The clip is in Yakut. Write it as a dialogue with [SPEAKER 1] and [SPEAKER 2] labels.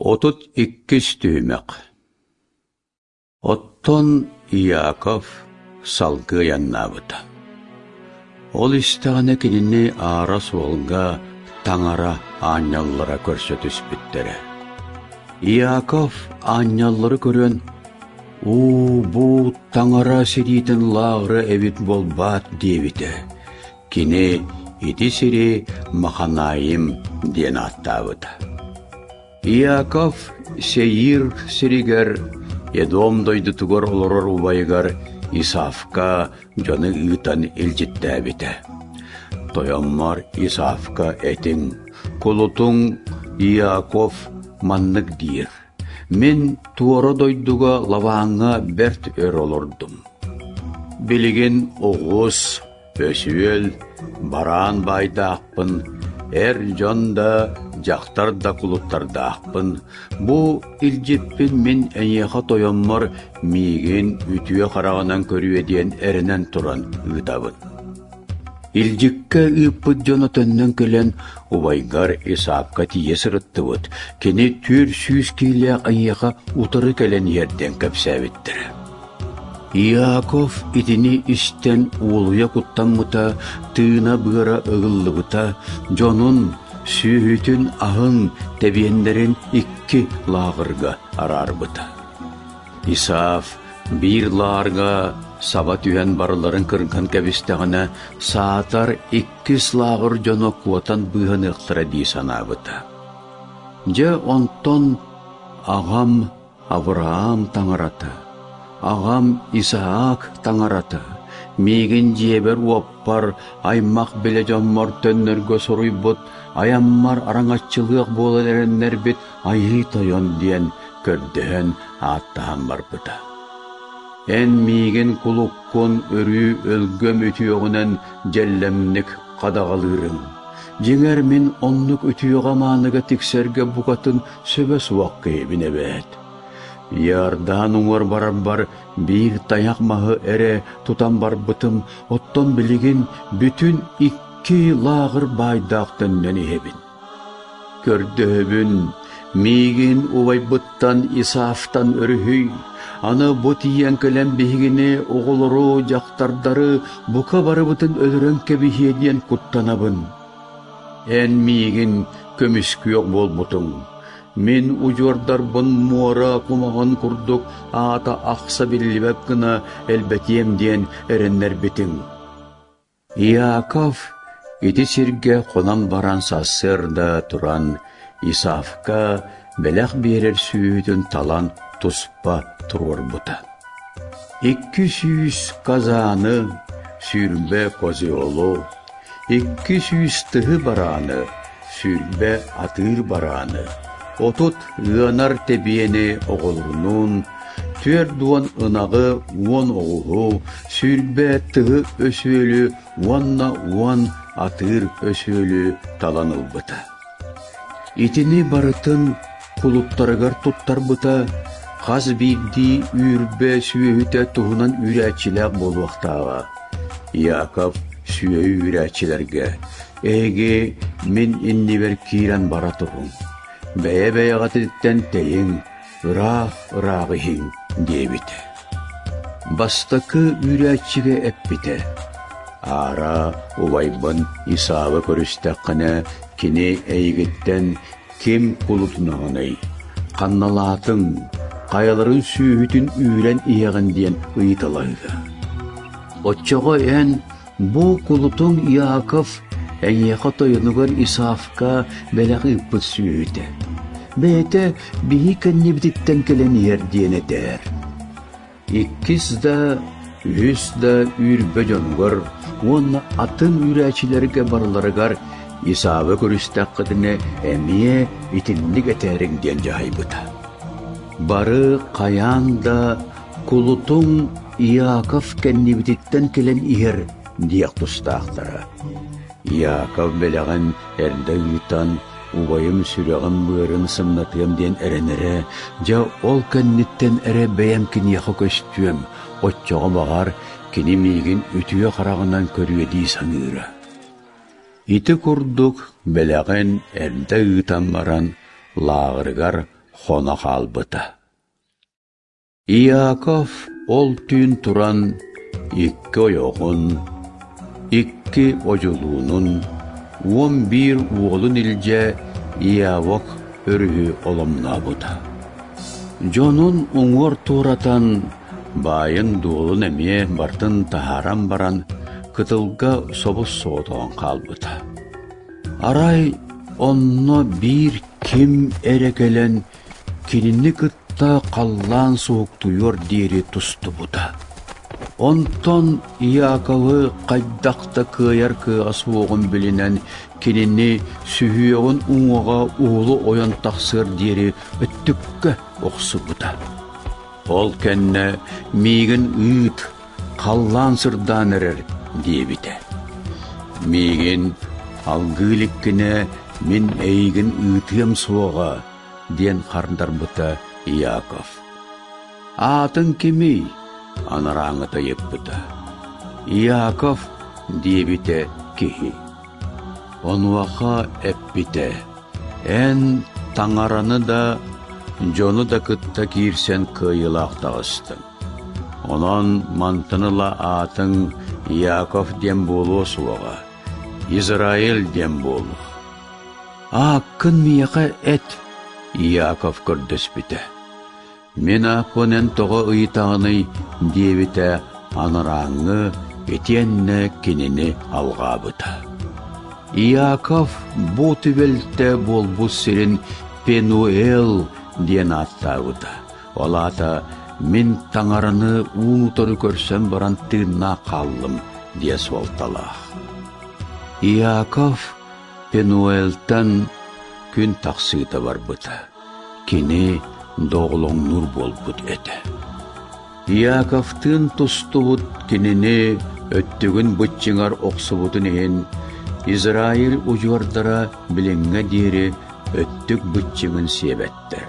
[SPEAKER 1] 32 түһүмэх Оттон Иаков салгыы айаннаабыта. Ол истэҕинэ кинини аара суолга Таҥара аанньаллара көрсө түспүттэрэ. Иаков аанньаллары көрөн, «Уу, бу Таҥара сириитин лааҕыра эбит буолбаат» диэбитэ. Кини ити сири Маханаим диэн ааттаабыта. Иаков Сеир сиригэр Едом дойдутугар олорор убайыгар Исавка дьону ыытан илдьиттээбитэ. Тойоммор Исавка этиҥ, кулутуҥ Иаков маннык диир: «Мин туора дойдуга Лавааҥҥа бэрт өр олордум. Билигин оҕус, Өсүөл, бараан баайдаахпын, эр дьон да, дьахтар да кулуттардаахпын. Бу илдьиппин мин эйиэхэ тойоммор миигин үтүө хараҕынан көрүө диэн эрэнэн туран ыытабын. Илдьиккэ ыыппыт дьоно төннөн кэлэн убайгар Исаакка тиийэ сырыттыбыт. Кини 400 киилээх эйиэхэ утары кэлэн иһэр диэн кэпсээбиттэрэ. Иаков итини истэн уолуйа куттаммыта, тыына-быара ыгыллыбыта, дьонун, сүөһүтүн аһын, тэбиэннэрин икки лааҕырга араарбыта. Исаав биир лаарга саба түһэн барыларын кырган кэбистэҕинэ, саатар иккис лааҕыр дьоно куотан быыһаныахтара дии санаабыта. Дьэ онтон аҕам Авраам таҥарата, аҕам Исаак таҥарата, миигин дьиэбэр-уоппар, аймах-билэ дьоммор төннөргө суруйбут, айаммар араҥаччылыах буолан эрэннэрбит Айыы Тойон диэн көрдөһөн ааттаһан барбыта. Эн миигин кулуккун өрүү өлгөм үтүөҕүнэн дьэллэмник хадаҕалыырыҥ. Дьиҥэр мин оннук үтүөҕэ-мааныга тиксэргэ букатын сөбө суох киһибин эбээт. Иордан уҥуор барарбар биир тайах маһы эрэ тутан барбытым, оттон билигин бүтүн икки лааҕыр баайдаах төннөн иһэбин. Көрдөһөбүн, миигин убайбыттан Исаавтан өрүһүй, аны бу тиийэн кэлэн биһигини, оҕолору, дьахтардары бука барыбытын өлөрөн кэбиһиэ диэн куттанабын. Эн миигин көмүскүөх буолбутуҥ. Мин удьуордарбын муора кумаҕын курдук аата ахса биллибэт гына элбэтиэм диэн эрэннэрбитиҥ. Иаков ити сиргэ хонон баран сарсыарда туран Исавка бэлэх биэрэр сүөһүтүн талан туспа туруорбута. 200 казаны, 20 козелу, 200 тыһы барааны, 20 атыыр барааны, 30 ыанар тэбиэни оҕолорунуун, 40 ынаҕы, 10 оҕуһу, 20 тыһы өсүөлү уонна 10 атыыр өсүөлү талан ылбыта. Итини барытын кулуттарыгар туттарбыта, хас биирдии үүрбэ сүөһүтэ туһунан үүрээччилээх буолуохтааҕа. Яков сүөһү үүрээччилэргэ «Эһиги мин иннибэр киирэн бара туруҥ, бэйэ-бэйэҕититтэн тэйиҥ, ыраах-ыраах иһиҥ» диэбитэ. Бастакы үүрээччигэ эппитэ: «Аара убайбын Исаавы көрүстэххинэ, кини эйигиттэн ким кулутунаҕыный, ханналаатыҥ, хайаларын сүүһүтүн үүрэн иһэҕин диэн ыйыталаһыа. Оччоҕо эн бу кулутуҥ Иаков эйиэхэ тойонугар Исаавка бэлэх ыыппыт сүөһүтэ. Бэйэтэ биһи кэннибититтэн кэлэн иһэр диэн этээр. Иккис да, үһүс да үүрбэ дьонугар уонна атын үүрээччилэргэ барыларыгар Исаавы көрүстэххитинэ эмиэ итинник этээриҥ диэн дьаһайбыта. Бары хайаан да кулутуҥ Иаков кэннибититтэн кэлэн иһэр диэх тустаахтара. Иаков бэлэҕин эрдэ ыытан убайым сүрэҕин-быарын сымнатыам диэн эрэнэрэ, дьэ ол кэнниттэн эрэ бэйэм киниэхэ көстүөм, оччоҕо баҕар кини миигин үтүө хараҕынан көрүө дии саныыра. Ити курдук бэлэҕин эрдэ ыытан баран лааҕырыгар хоно хаалбыта. Иаков ол түүн туран икки ойоҕун, икки одьулуунун, 11 уолун илдьэ Иавок өрүһү оломнообута. Дьонун уҥуор туоратан, баайын-дуолун эмиэ бартын таһааран баран, кытылга собус-соҕотоҕун хаалбыта. Арай онно биир ким эрэ кэлэн кинини кытта халлаан суһуктуйуор диэри тустубута. Онтон Иаковы хайдах да кыайар кыаҕа суоҕун билинэн кинини сүһүөҕүн уҥуоҕа уһулу ойон тахсыар диэри өттүккэ охсубута. Ол кэннэ миигин ыыт, халлаан сырдаан эрэр диэбитэ. Миигин алгыы иликкинэ мин эйигин ыытыам суоҕа диэн хардарбыта Иаков. Аатыҥ кимий? анарааҥыта ыйыппыта. Иаков диэбитэ киһи. Онуоха эппитэ: Эн таҥараны да, дьону да кытта киирсэн кыайыылаах таҕыстыҥ. Онон мантан ыла аатыҥ Иаков диэн буолуо суоҕа, Израиль диэн буолуо. Ааккын миэхэ эт, Иаков көрдөспүтэ. Мин ааппын эн тоҕо ыйытаҕыный диэбитэ анарааҥҥы итиэннэ кинини алҕаабыта. Иаков бу түбэлтэ буолбут сирин Пенуэл диэн ааттаабыта. Ол аата мин таҥараны уун-утары көрсөн баран тыыннаах хааллым диэ суолталаах. Иаков Пенуэлтан күн тахсыыта барбыта. Кини доҕолоҥнуур буолбут этэ. Иаковтыын тустубут кинини өттүгүн быччыҥар охсубутун иһин Израиль удьуордара билиҥҥэ диэри өттүк быччыҥын сиэбэттэр.